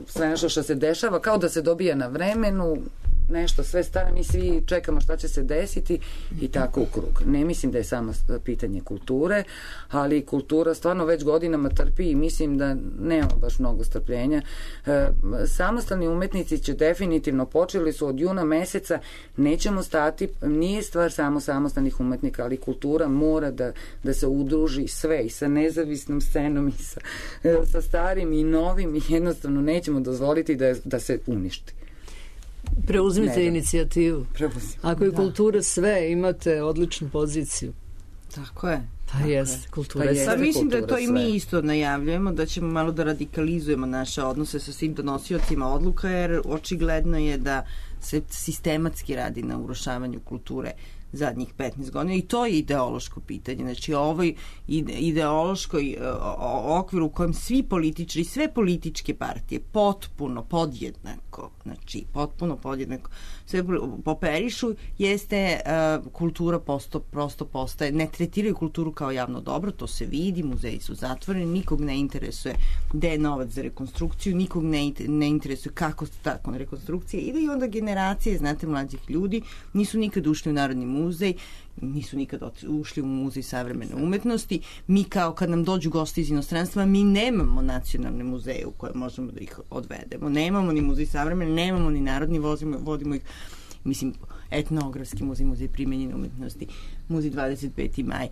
sve nešto što se dešava, kao da se dobija na vremenu, nešto sve stane, mi svi čekamo šta će se desiti i tako u krug. Ne mislim da je samo pitanje kulture, ali kultura stvarno već godinama trpi i mislim da nema baš mnogo strpljenja. Samostalni umetnici će definitivno, počeli su od juna meseca, nećemo stati, nije stvar samo samostalnih umetnika, ali kultura mora da se udruži sve i sa nezavisnom scenom i sa starim i novim i jednostavno nećemo dozvoliti da se uništi. Preuzmite inicijativu. Ako je kultura sve, imate odličnu poziciju. Tako je. Pa jest, kultura je sve. Pa mislim da to i mi isto najavljujemo, da ćemo malo da radikalizujemo naše odnose sa svim donosiocima odluka, jer očigledno je da se sistematski radi na urušavanju kulture zadnjih 15 godina i to je ideološko pitanje. Znači ovoj ideološkoj okviru u kojem svi političari, sve političke partije potpuno podjednako, znači potpuno podjednako sve poperišu, jeste kultura prosto postaje, ne tretiraju kulturu kao javno dobro, to se vidi, muzeji su zatvoreni, nikog ne interesuje gde je novac za rekonstrukciju, nikog ne interesuje kako tako rekonstrukcija i onda generacije, znate, mlađih ljudi nisu nikad ušli u Narodni muzej, nisu nikad ušli u Muzej savremene umetnosti. Mi kao kad nam dođu gosti iz inostranstva, mi nemamo nacionalne muzeje u koje možemo da ih odvedemo. Nemamo ni Muzej savremene, nemamo ni Narodni, vodimo ih, mislim, etnografski muzej, Muzej primenjene umetnosti, Muzej 25. maj.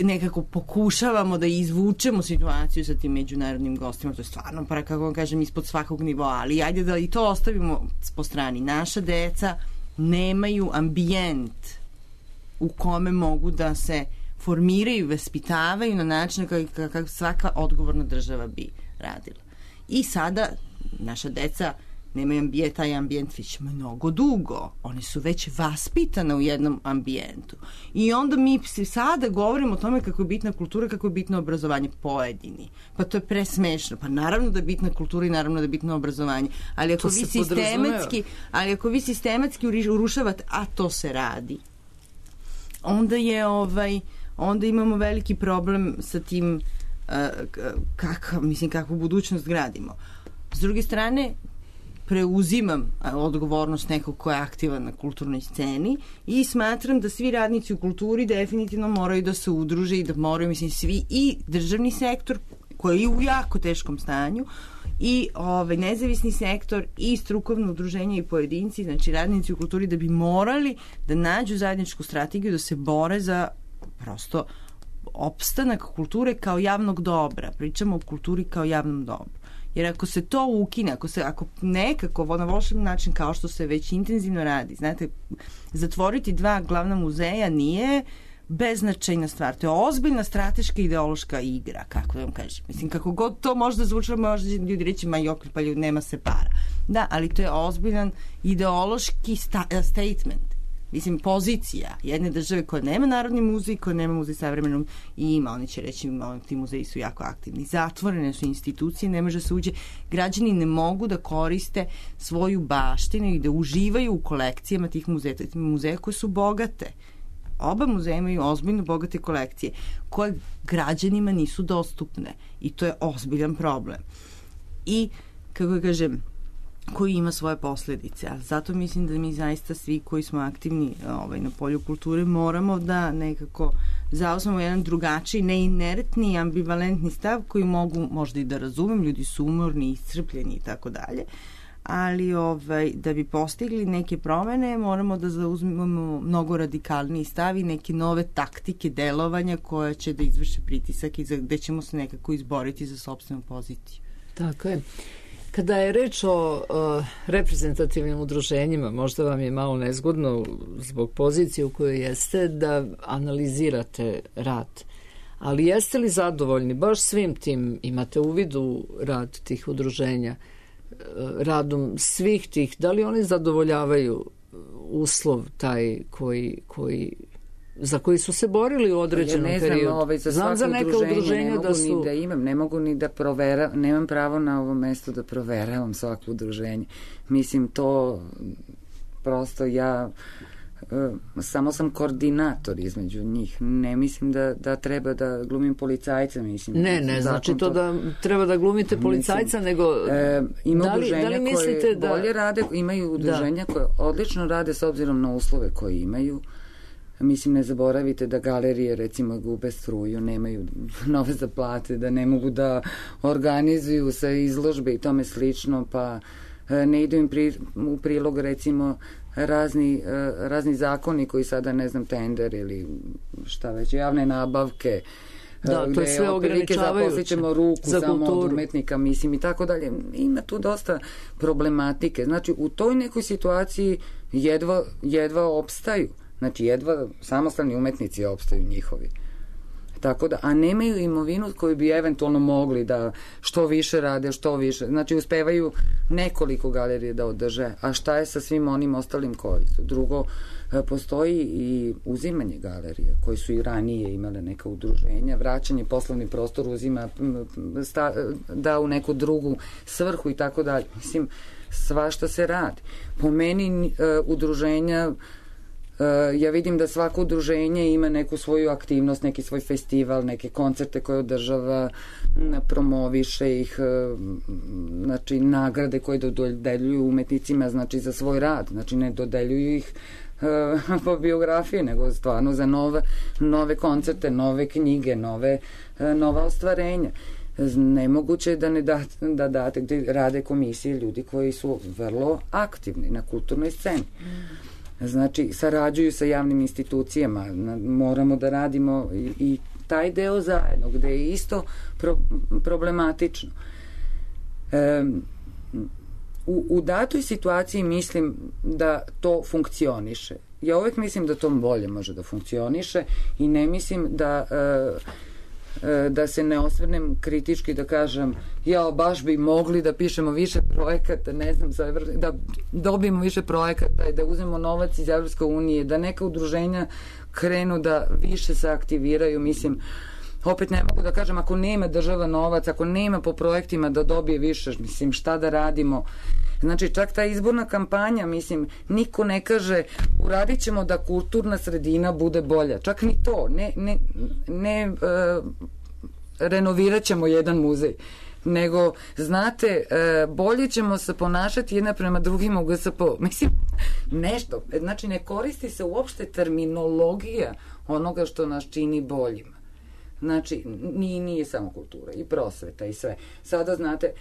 Nekako pokušavamo da izvučemo situaciju sa tim međunarodnim gostima, to je stvarno, kako vam kažem, ispod svakog nivoa, ali ajde da i to ostavimo po strani. Naša deca nemaju ambijent u kome mogu da se formiraju, vaspitavaju na način kako svaka odgovorna država bi radila. I sada naša deca nemaju taj ambijent već mnogo dugo. One su već vaspitane u jednom ambijentu. I onda mi sada govorimo o tome kako je bitna kultura, kako je bitno obrazovanje pojedini. Pa to je presmešno. Pa naravno da je bitna kultura i naravno da je bitno obrazovanje. Ali ako vi sistematski urušavate, a to se radi, onda imamo veliki problem sa tim kakvu budućnost gradimo. S druge strane, preuzimam odgovornost nekog ko je aktivan na kulturnoj sceni i smatram da svi radnici u kulturi definitivno moraju da se udruže i da moraju, svi i državni sektor koji je u jako teškom stanju i nezavisni sektor i strukovno udruženje i pojedinci, znači radnici u kulturi, da bi morali da nađu zajedničku strategiju, da se bore za prosto opstanak kulture kao javnog dobra. Pričamo o kulturi kao javnom dobru. Jer ako se to ukine, ako nekako na volšebni način, kao što se već intenzivno radi, znate, zatvoriti 2 glavna muzeja nije beznačajna stvar. To je ozbiljna strateška ideološka igra, kako vam kažem. Mislim, kako god to možda zvučalo, možda ljudi reći, ma jok, pa ljudi, nema se para. Da, ali to je ozbiljan ideološki statement. Mislim, pozicija jedne države koja nema Narodni muzej, koja nema muzej savremenom i ima, oni će reći, ti muzeji su jako aktivni. Zatvorene su institucije, ne može se uđe. Građani ne mogu da koriste svoju baštinu i da uživaju u kolekcijama tih muzeja koje su bogate. Oba muzeja imaju ozbiljno bogate kolekcije koje građanima nisu dostupne i to je ozbiljan problem. I, kako kažem, koji ima svoje posljedice. A zato mislim da mi zaista svi koji smo aktivni na polju kulture moramo da nekako zauzmemo jedan drugačiji, neinertni, ambivalentni stav koji mogu možda i da razumem, ljudi su umorni, iscrpljeni i tako dalje, ali da bi postigli neke promene moramo da zauzmemo mnogo radikalniji stav i neke nove taktike delovanja koja će da izvrše pritisak i gde ćemo se nekako izboriti za sopstvenu poziciju. Tako je. Kada je reč o reprezentativnim udruženjima, možda vam je malo nezgodno zbog pozicije u kojoj jeste da analizirate rad. Ali jeste li zadovoljni baš svim tim, imate uvid u rad tih udruženja, radom svih tih, da li oni zadovoljavaju uslov taj za koji su se borili u određenom periodu? Znam za neka udruženja da su... Ne mogu ni da proveravam, nemam pravo na ovo mesto da proveravam svako udruženje. Mislim, to prosto ja samo sam koordinator između njih. Ne mislim da treba da glumim policajca. Mislim, ne znači to da treba da glumite policajca, nego ima udruženja koje bolje rade, imaju udruženja koje odlično rade s obzirom na uslove koje imaju. Mislim, ne zaboravite da galerije recimo gube struju, nemaju nove za plate, da ne mogu da organizuju se izložbe i tome slično, pa ne idu im u prilog recimo razni zakoni koji sada, ne znam, tender ili šta već, javne nabavke, da, to je sve ograničavajuće. Zaposlit ćemo ruku samo od umetnika, mislim, i tako dalje. Ima tu dosta problematike. Znači, u toj nekoj situaciji jedva opstaju. Znači, jedva samostalni umetnici opstaju njihovi. Tako da, a nemaju imovinu koju bi eventualno mogli da što više rade, što više. Znači, uspevaju nekoliko galerije da održe. A šta je sa svim onim ostalim koji su? Drugo, postoji i uzimanje galerije, koji su i ranije imale neka udruženja, vraćanje poslovni prostor uzima, da u neku drugu svrhu i tako dalje. Mislim, svašta se radi. Po meni, udruženja, ja vidim da svako udruženje ima neku svoju aktivnost, neki svoj festival, neke koncerte koje održava, promoviše ih, znači nagrade koje dodeljuju umetnicima, znači za svoj rad, znači ne dodeljuju ih po biografiji, nego stvarno za nove koncerte, nove knjige, nova ostvarenja. Nemoguće da da date, gde rade komisije ljudi koji su vrlo aktivni na kulturnoj sceni. Znači, sarađuju sa javnim institucijama, moramo da radimo i taj deo zajedno, gde je isto problematično. U datoj situaciji mislim da to funkcioniše. Ja uvek mislim da to bolje može da funkcioniše i ne mislim da se ne osvrnem kritički, da kažem baš bi mogli da pišemo više projekata, ne znam, da dobijemo više projekata i da uzmemo novac iz Evropske unije, da neka udruženja krenu da više se aktiviraju. Mislim, opet ne mogu da kažem, ako nema država novac, ako nema po projektima da dobije više, mislim, šta da radimo. Znači, čak ta izborna kampanja, mislim, niko ne kaže uradit ćemo da kulturna sredina bude bolja. Čak ni to. Ne renovirat ćemo jedan muzej. Nego, znate, bolje ćemo se ponašati jedna prema drugima u GSP. Mislim, nešto. Znači, ne koristi se uopšte terminologija onoga što nas čini boljima. Znači, nije samo kultura, i prosveta i sve. Sada, znate,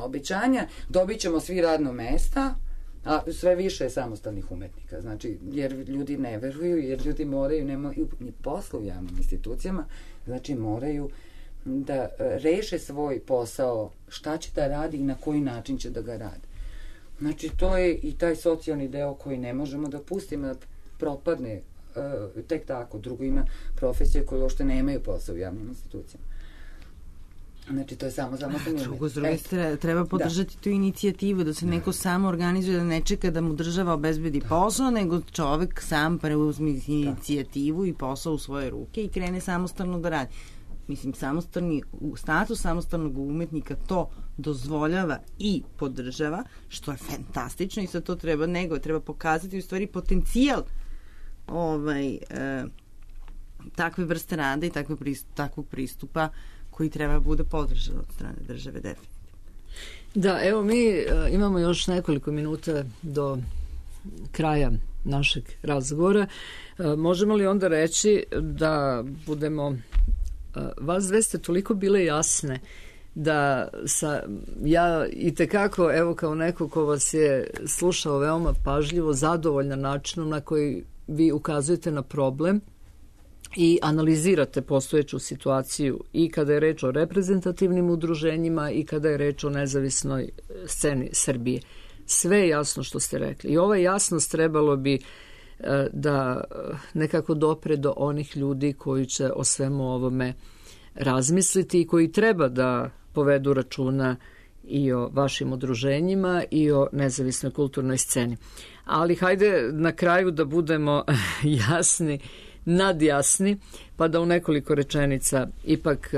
obećanja, dobit ćemo svi radno mesta, a sve više je samostalnih umetnika. Znači, jer ljudi ne veruju, jer ljudi moraju, nemaju ni posla u javnim institucijama, znači moraju da reše svoj posao, šta će da radi i na koji način će da ga radi. Znači, to je i taj socijalni deo koji ne možemo da pustimo da propadne tek tako. Drugo, ima profesije koje uopšte nemaju posao u javnim institucijama. Znači, to je samo drugo, s druge treba podržati tu inicijativu, da se neko samo organizuje, da ne čeka da mu država obezbedi posao, nego čovek sam preuzme inicijativu i posao u svoje ruke i krene samostalno da radi. Mislim, status samostalnog umetnika to dozvoljava i podržava, što je fantastično, i sad to treba pokazati u stvari potencijal takve vrste rada i takvog pristupa koji treba bude podržan od strane države, definitivno. Da, evo mi imamo još nekoliko minuta do kraja našeg razgovora. Možemo li onda reći da budemo, vas dve ste toliko bile jasne da ja i tekako, evo kao neko ko vas je slušao veoma pažljivo, zadovoljna načinom na koji vi ukazujete na problem i analizirate postojeću situaciju i kada je reč o reprezentativnim udruženjima i kada je reč o nezavisnoj sceni Srbije. Sve je jasno što ste rekli. I ova jasnost trebalo bi da nekako dopre do onih ljudi koji će o svemu ovome razmisliti i koji treba da povedu računa i o vašim udruženjima i o nezavisnoj kulturnoj sceni. Ali hajde na kraju da budemo jasni, nadjasni, pa da u nekoliko rečenica ipak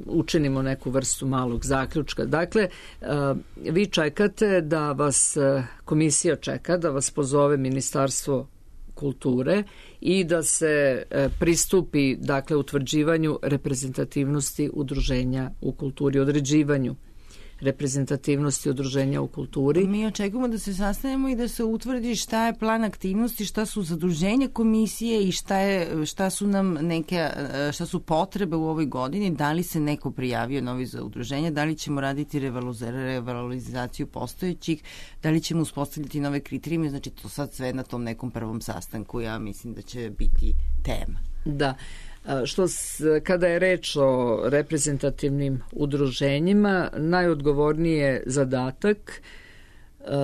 učinimo neku vrstu malog zaključka. Dakle, vi čekate da vas komisija čeka, da vas pozove Ministarstvo kulture i da se pristupi, dakle, utvrđivanju reprezentativnosti udruženja u kulturi, određivanju reprezentativnosti udruženja u kulturi. Mi očekujemo da se sastanemo i da se utvrdi šta je plan aktivnosti, šta su zaduženja komisije i šta su potrebe u ovoj godini, da li se neko prijavio novi za udruženje, da li ćemo raditi revalorizaciju postojećih, da li ćemo uspostaviti nove kriterijume, znači to sad sve na tom nekom prvom sastanku, ja mislim da će biti tema. Da. Kada je reč o reprezentativnim udruženjima, najodgovorniji je zadatak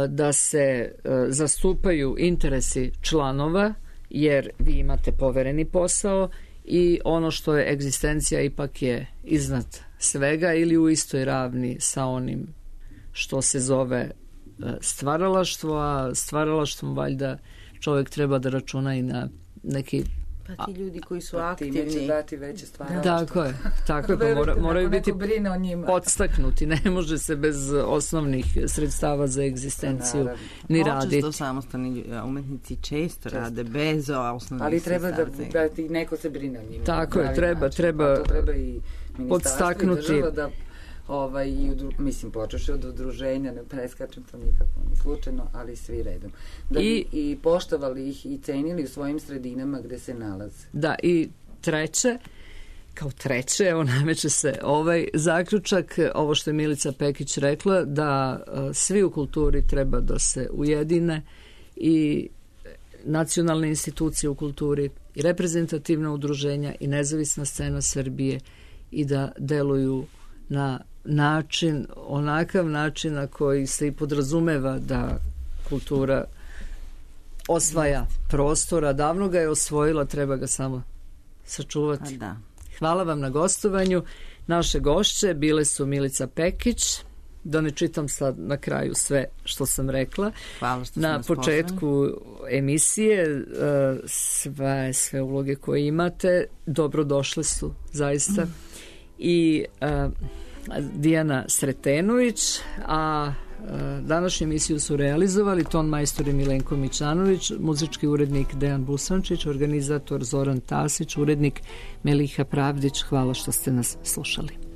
da se zastupaju interesi članova, jer vi imate povereni posao i ono što je egzistencija ipak je iznad svega ili u istoj ravni sa onim što se zove stvaralaštvo, a stvaralaštvom valjda čovjek treba da računa i na neki... Pa ti ljudi koji su aktivni. Time će dati veće stvari. Tako je, pa moraju biti podstaknuti. Ne može se bez osnovnih sredstava za egzistenciju ni raditi. Počesto samostalni umetnici često rade bez osnovnih ali sredstava. Ali treba da neko se brine o njima. Tako je, treba i podstaknuti. I država da mislim, počeš od udruženja, ne preskačem to nikako, ni slučajno, ali svi redom. Da bi i poštovali ih i cenili u svojim sredinama gde se nalaze. Da, i kao treće, evo nameće se ovaj zaključak, ovo što je Milica Pekić rekla, da svi u kulturi treba da se ujedine i nacionalne institucije u kulturi i reprezentativna udruženja i nezavisna scena Srbije i da deluju na način, onakav način na koji se i podrazumeva da kultura osvaja prostora, davno ga je osvojila, treba ga samo sačuvati. Da. Hvala vam na gostovanju. Naše gošće bile su Milica Pekić, da ne čitam sad na kraju sve što sam rekla. Hvala što na početku emisije, sve uloge koje imate dobrodošle su zaista. I Dijana Sretenović, a današnju emisiju su realizovali ton majstor Milenko Mićanović, muzički urednik Dejan Busančić, organizator Zoran Tasić, urednik Meliha Pravdić. Hvala što ste nas slušali.